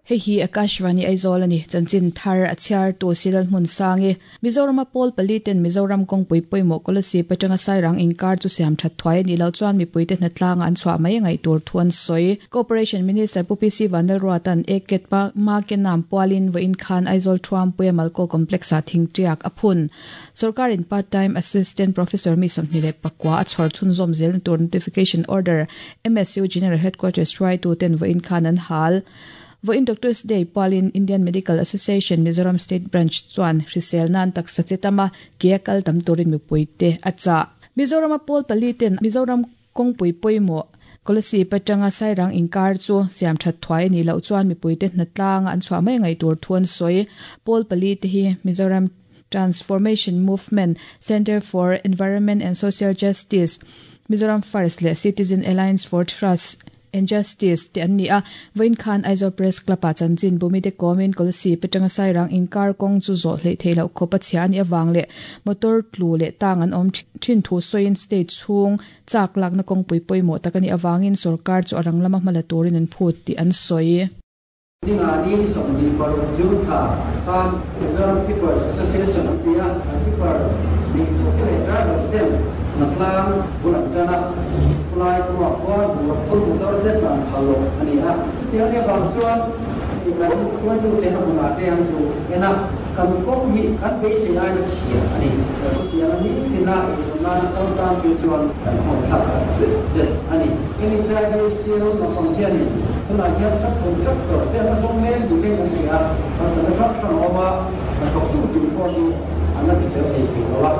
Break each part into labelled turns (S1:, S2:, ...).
S1: Hei hi Akashvani Aizawl a ni. Chanchin thar a chhiartu Silal Hmunsangi. Mizorama pawl pali ten Mizoram kawngpui pawimawh Kolasib atanga Sairang inkar chu siam that thuai a nih loh chuan mipuite hnatlanga an chhuah mai a ngaih tur thu an sawi. Cooperation Minister Pu PC Vanlalruata'n Eket pa Makenam pualin vawiin khan Aizawl Thuampuia Malko Complex-ah thingtiak a phun. Sorkarin part time Assistant Professor mi 24 a chhawr chhunzawm zelna tur Notification Order MSU General Headquarters hruaituten vawiin khan an hal. Vawiin Doctors Day pualin Indian Medical Association Mizoram State Branch chuan hrisel nan taksa che tama ke a kal tam turin mipuite a chah. Mizorama pawl pali ten Mizoram kawngpui pawimawh Kolasib atanga Sairang inkar chu siam that thuai a nih loh chuan mipuite hnatlanga an chhuah mai ngaih tur thu an sawi. Pawl pali te hi Mizoram Transformation Movement, Centre for Environment and Social Justice, Mizoram First leh Citizen Alliance for Trust and Justice te an ni a. Vawiin khan Aizawl Press Club ah chanchin bumite kawmin Kolasib atanga Sairang inkar kawng chu zawh hleih theih loh khawp a chhia a nih avang leh motor tlu leh tang an awm thin thu sawiin state chhung chak lakna kawngpui pawimawh tak a nih avangin sorkar chu a rang lama hmala turin an phut tih an sawi.
S2: Ninga ni 26 June thla khan Mizoram Tippers Association an ti a, an tipper nih thute leh drivers ten hnatlang bul an tan a, khulai tumah khuan bungraw phur motor te tlan phal loh a ni a. Chutiang anih avang chuan kan hruaitute a hmunah te an zu en a, kan kawng hi kan beisei aina chhia a ni. Chutiang a nitina eizawn nana kal tan phei chuan kan khawngthlak tak zet zet a ni. Hemi chai hi Seal naupang hianin tunah hian subcontractor te an la zawng mek ni ten kan hria a, harsatna hrang hrang a awm a, hnathawktu tur pawh hi an la ti fel thei thei lo a.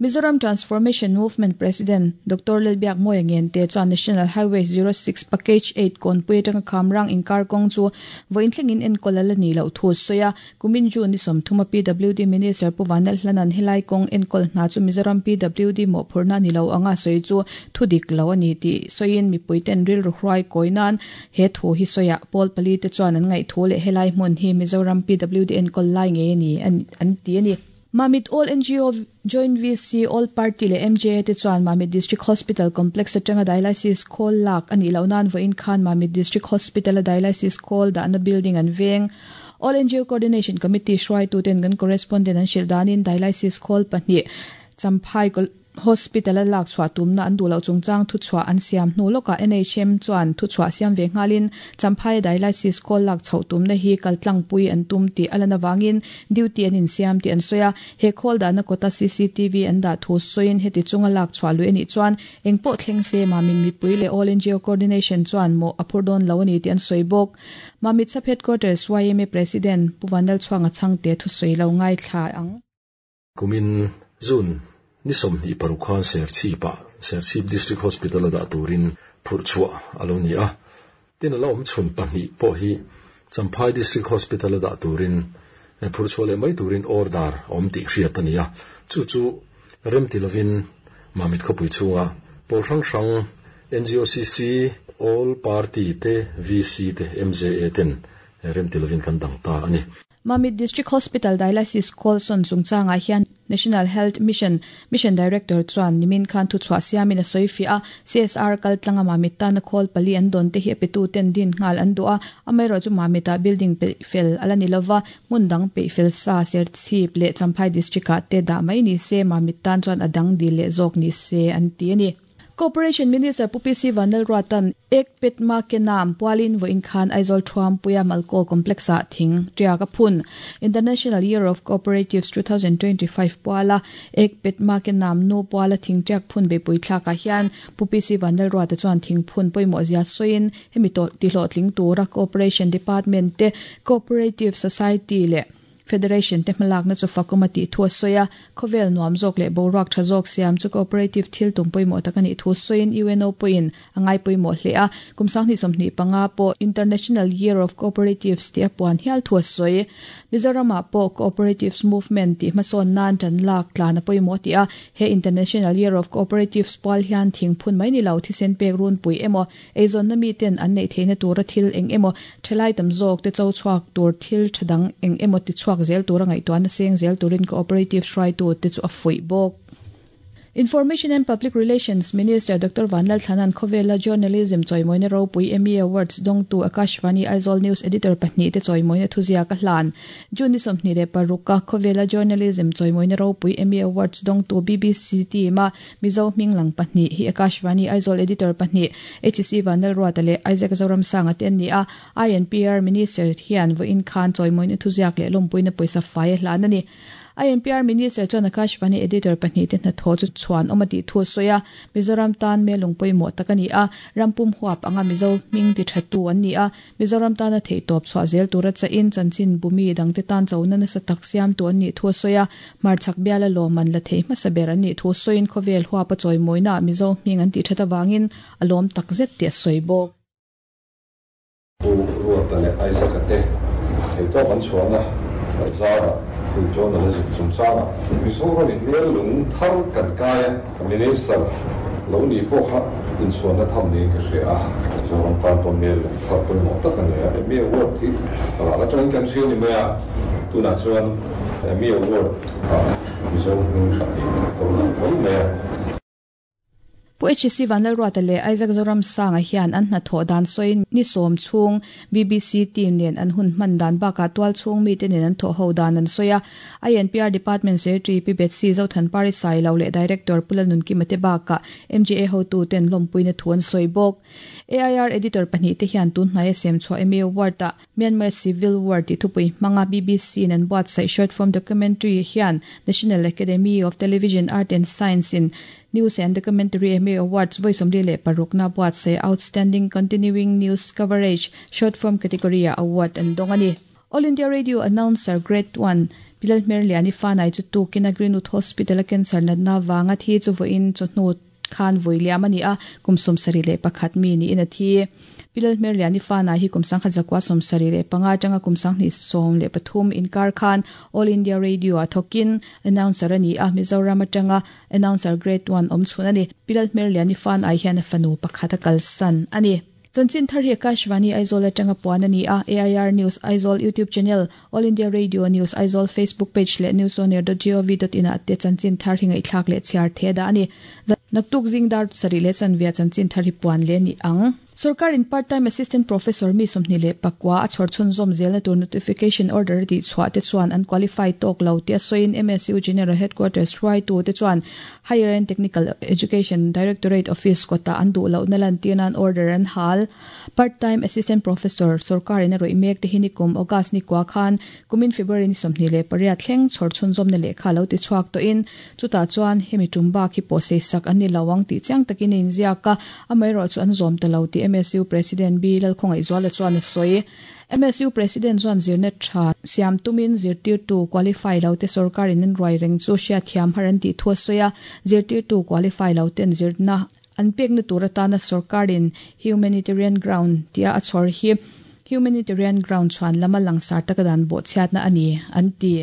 S1: Mizoram Transformation Movement President Doctor Lalbiakmawia Ngente chuan National Highway 06 Package 8 kawnpui atanga Khamrang inkar kawng chu vawiin thlengin enkawl a la nih loh thu a sawi a. Kumin June ni 30 a PWD Minister Pu Vanlalhlana'n helai kawng enkawl hna chu Mizoram PWD mawhphurhna a ni lo anga sawi chu thu dik lo a ni tih sawiin mipuiten rilru hruai kawi nan he thu hi sawiah pawl pali te chuan an ngaihthu leh helai hmun hi Mizoram PWD enkawl lai ngei a ni an ti a ni. Mamit All NGO Joint VC, All Party leh MJA te chuan Mamit District Hospital Complex atanga Dialysis khawl lak a nih loh nan vawiin khan Mamit District Hospital-a Dialysis khawl dahna building an veng. All NGO Coordination Committee hruaituten kan correspondent an hrilh danin Dialysis khawl pahnih Champhai Hospital-a lak chhuah tumna an duh loh chungchang thuchhuah an siam hnu lawkah NHM chuan thuchhuah siam ve nghalin Champhaia dialysis kawl lak chhoh tumna hi kaltlangpui an tum tih a lan avangin duty an insiam tih an sawi a. He khawl dahna kawta cctv an dah thu sawiin heti chunga lak chhuah lui a nih chuan engpawh thleng se Mamit mipui leh All NGO Coordination chuan mawh a phur dawn lo a ni tih an sawi bawk. Mamit Sub Headquarters yma President Pu Vanlalchhuanga Chhangte thusawi lo ngaithla ang.
S3: Kumin June ni 26 khan Serchhip-ah Serchhip District Hospital-a dah turin phurh chhuah a lo ni a. Tin, a la awm chhun pahnih pawh hi Champhai District Hospital-a dah turin phurh chhuah leh mai turin order a awm tih hriat a ni a. Chu chu remti lovin Mamit khawpui chhunga pawl hrang hrang NGOCC, All Party te, VC te, MJA ten remti lovin kan dang ta a ni.
S1: Mamit District Hospital Dialysis Call sawn chungchangah hian National Health Mission Mission Director chuan nimin khan thuchhuah siamin a sawi fiah a, CSR kaltlanga Mamit tana khawl pali an dawn te hi a petu ten din nghal an duh a, amaherawhchu Mamit ah building peih fel a la ni lova, hmun dang peih fel sa Serchhip leh Champhai District ah te dah mai ni se Mamit tan chuan a dang dil leh zawk ni se an ti a ni. Cooperation Minister Pu PC Vanlalruata'n Ek Pet Ma Ke Naam pualin vawiin khan Aizawl Thuampuia Malkaw Complex-ah thing tiak a phun. International Year of Cooperatives 2025 puala Ek Pet Ma Ke Naam nu puala thing tiak phun beihpui thlakah hian Pu PC Vanlalruata chuan thing phun pawimawh zia sawiin hemi tihlawhtling tura Cooperation Department te, Cooperative Society leh Federation te hmalakna chu fakawm a tih thu a sawi a, khawvel nuam zawk leh boruak tha zawk siam chu cooperative thil tum pawimawh tak a nih thu sawiin UNO pawhin a ngai pawimawh hle a, kum 2025 pawh International Year of Cooperatives tih a puan hial thu a sawi. Mizoramah pawh Cooperatives Movement tih hmasawn nan tan lak tlan a pawimawh a ti a, he International Year of Cooperatives pual hian thingphun mai ni lo thisen pek runpui emaw Eizawnna miten an neih theihna tura thil eng emaw thalai tam zawk te cho chhuak tur thil tha dang eng emaw ti chhuak zel tura ngaihtuahna seng zel turin cooperative hruaitu te chu a fuih bawk. Information and Public Relations Minister Doctor Vanlalthlana'n khawvela Journalism chawimawina ropui Emmy Awards dawngtu Akashvani Aizawl News Editor pahnihte chawimawina thuziak a hlan. June ni 26 a khawvela Journalism chawimawina ropui Emmy Awards dawngtu BBC team-a Mizo hming lang pahnih hi Akashvani Aizawl Editor pahnih HC Vanlalruata leh Isaac Zoramsanga te an ni a, INPR Minister hian vawiin khan chawimawina thuziak leh lawmpuina pawisa fai a hlan a ni. INPR Minister chuan Akashvani Editor pahnihte hnathawh chu chhuan awm a tih thu a sawi a, Mizoram tan melung pawimawh tak a ni a, ram pum huap anga Mizo hming ti thattu an ni a, Mizoram tana theihtawp chhuah zel tura chahin chanchin bumi dangte tan chona nasa tak siamtu an nih thu a sawi a, hmarchhak biala lawmman la thei hmasa ber an nih thu sawiin khawvel huapa chawimawinaah Mizo hming an tih that avangin a lawm takzet tih a sawi bawk.
S4: Pu Ruata leh Isaac-a te theihtawp an chhuahna zarah hei journalism chungchangah Mizoramin hmel lung thar kan kai a, Minister lo nih pawh kha inchhuanna tham niin ka hria a, Mizoram tan pawh hmel lung thar pawimawh tak a ni a, Emmy Award hi ral atangin kan hria ni mai a, tunah chuan Emmy Award ah Mizo hming hran hi ka lo lang mai mai a.
S1: Pu HC Vanlalruata leh Isaac Zoramsanga hian an hnathawh dan sawiin ni sawm chhung BBC team nen an hun hman dan bakah tual chhung mite nen an thawh ho dan an sawi a. INPR Department Secretary Pi Betsy Zothanpari Sailo leh Director Pu Lalnunkima te bakah MGA hotuten lawmpuina thu an sawi bawk. AIR Editor pahnihte hian tun hnaia semchhuah Emmy Award-ah Myanmar Civil War tih thupui hmanga BBC in an buatsaih short form documentary hian National Academy of Television Art and Science in News and Documentary Emmy Awards vawi 46 na buatsaih Outstanding Continuing News Coverage Short Form category ah award an dawng a ni. All India Radio Announcer Grade One Bilal Hmerliani Fanai chu tukin a Greenwood Hospital a cancer natna avanga thi chu vawiin chawhnu khan vawi liam a ni a, kum 71 mi niin a thi. Pi Lalhmerliani Fana hi kum 1975 atanga kum 2013 inkar khan All India Radio ah thawkin announcer a ni a, Mizoram atanga announcer Grade One awm chhun a ni. Pi Lalhmerliani Fanai hian a fanu pakhat a kalsan a ni. Chanchin thar hi Akashvani Aizawl atanga puan a ni a, AIR News Aizawl YouTube channel, All India Radio News Aizawl Facebook page leh newsonair.gov.in ah te chanchin thar hi ngaihthlak leh chhiar theh dah a ni. Naktuk zing dar sarih leh chanvia chanchin thar hi puan leh a ni ang. Sorkarin Part-time Assistant Professor mi 24 a chhawr chhunzawm zelna tur notification order a tihchhuah te chuan an qualify tawk lo tih a sawiin MSU General Headquarters hruaitu te chuan Higher and Technical Education Directorate Office kawtah an duh lohna lantir nan order an hal. Part-time Assistant Professor sorkarin a rawih mek te hi nikum August ni kua khan kumin February ni 28 thleng chhawr chhunzawmna lehkha lo ti chhuak tawhin chutah chuan hemi tum bak hi pawh seisak an ni lo ang tih chiang takin a inziak a, amaherawh chu an zawm ta lo tih MSU President B Lalkhawngaihzuala chuan a sawi. MSU President chuan zirna tha siam tumin zirtirtu qualify lo te sorkarin an ruai reng chu hriatthiam har an tih thu a sawi a, zirtirtu qualify lo ten zirna an pekna tur atana sorkarin humanitarian ground tia a chhawr hi humanitarian ground chhuan lama langsar taka dan bawhchhiatna a ni an ti.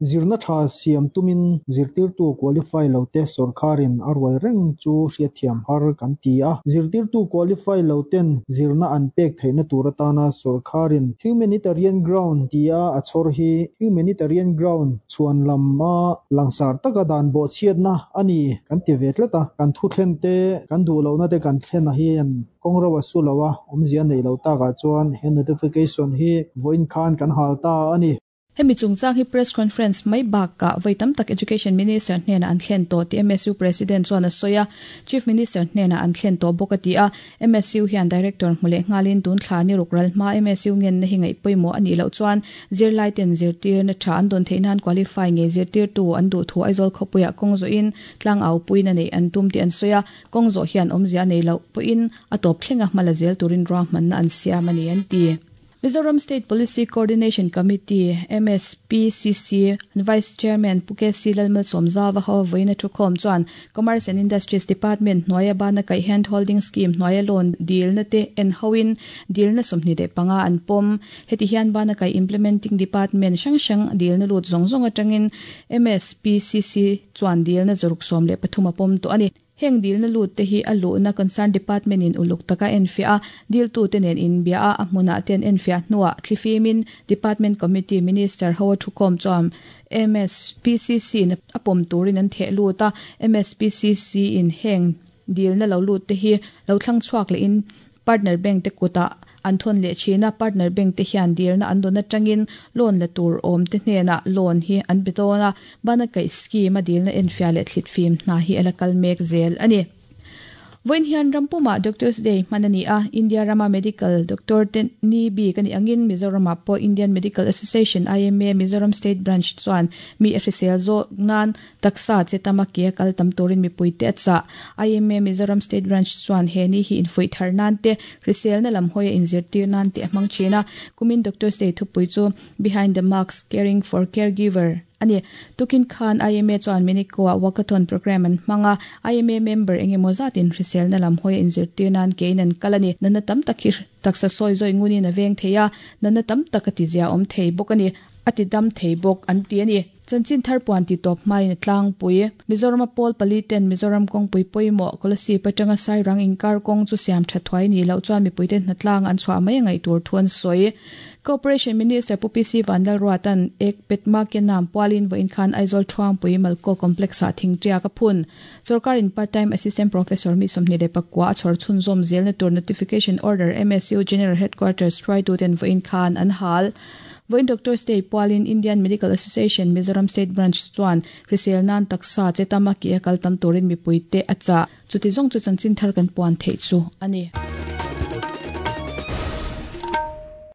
S2: Zirna tha siam tumin zirtirtu qualify lo te sorkarin a ruai reng chu hriatthiam har kan ti a. Zirtirtu qualify lo ten zirna an pek theihna tur atana sorkarin humanitarian ground tia a chhawr hi humanitarian ground chhuan lama langsar taka dan bawhchhiatna a ni kan ti ve tlat a. Kan thu thlen te, kan duh lohna te kan thlen a hian kawng ro a su lo a, awmzia nei lo takah chuan he notification hi vawiin khan kan hal ta a ni.
S1: Hemi chungchang hi press conference mai bakah vawi tam tak Education Minister hnenah an thlen tawh tih MSU President chuan a sawi a, Chief Minister hnenah an thlen tawh bawk a ti a. MSU hian Director hmu leh nghalin tun thla ni ruk ral hma MSU ngenna hi ngaih pawimawh a nih loh chuan zirlaiten zirtirna tha an dawn theih nan qualify ngei zirtirtu an duh thu Aizawl khawpuiah kawng zawhin tlang au puina neih an tum tih an sawi a, kawng zawh hian awmzia a nei loh pawhin a tawp thlenga hma la zel turin ruahmanna an siam a ni an ti. Mizoram State Policy Coordination Committee, MSPCC, Vice Chairman Pu KC Lalmalsawmzava ho vawiin a thukhawm chuan Commerce and Industries Department hnuaia bana kaih Hand Holding Scheme hnuaia loan dilna te en hoin dilna 25 an pawm. Heti hian bana kaih Implementing Department hrang hrang dilna lut zawng zawng atangin MSPCC chuan dilna 113 a pawm tawh a ni. Heng dilna lut te hi a luhna concern department in uluk taka enfiah a, diltute nen inbia a, a hmunah te an enfiah hnuah thlifimin department committee minister ho a thukhawm chuan MSPCC in a pawm turin an theh lut a, MSPCC in heng dilna lo lut te hi lo thlang chhuak lehin Partner bank te kutah an thawn leh thin a, partner bank te hian dilna an dawn atangin loan la tur awm te hnenah loan hi an pe dawn a, bana kaih scheme a dilna enfiah leh thlit fim hna hi a la kal mek zel a ni. Vawiin hian ram pumah Doctors Day hman a ni a, India rama medical doctor te ni bik a nih angin Mizoramah pawh Indian Medical Association, IMA, Mizoram State Branch chuan mi a hrisel zawk nan Taksa che tama ke a kal tam turin mipuite a chah. IMA Mizoram State Branch chuan he ni hi infuih thar nan te, hriselna lam hawia inzirtir nan te a hmang thin a. Kumin Doctors Day thupui chu Behind the Mask, Caring for Caregiver a ni. Tukin khan IMA chuan Minico-ah Walkathon programme an hmang a, IMA member eng emaw zatin hriselna lam hawia inzirtir nan kein an kal a ni. Natna tam tak hi taksa sawi zawi ngunin a veng thei a, natna tam tak a tizia awm thei bawk a ni, a tidam thei bawk an ti a ni. Chanchin thar puan ti tawp hmain a tlangpui. Mizorama pawl pali ten Mizoram kawngpui pawimawh Kolasib atanga Sairang inkar kawng chu siam tha thuai nih loh chuan mipuite hnatlang an chhuah mai a ngaih tur thu an sawi. Cooperation Minister Pu PC Vanlalruata'n ek petma ke nam pualin vawiin khan Aizawl Thuangpui Malko Complex-ah thingtiak a phun. Sorkarin part-time Assistant Professor mi 24 a chhawr chhunzawm zelna tur Notification Order MSU General Headquarters hruaituten vawiin khan an hal. Vawiin Doctors Day pualin Indian Medical Association Mizoram State Branch chuan hrisel nan taksa che tama ke a kal tam turin mipuite a chah. Chuti zawng chu chanchin thar kan puan theih chu a ni.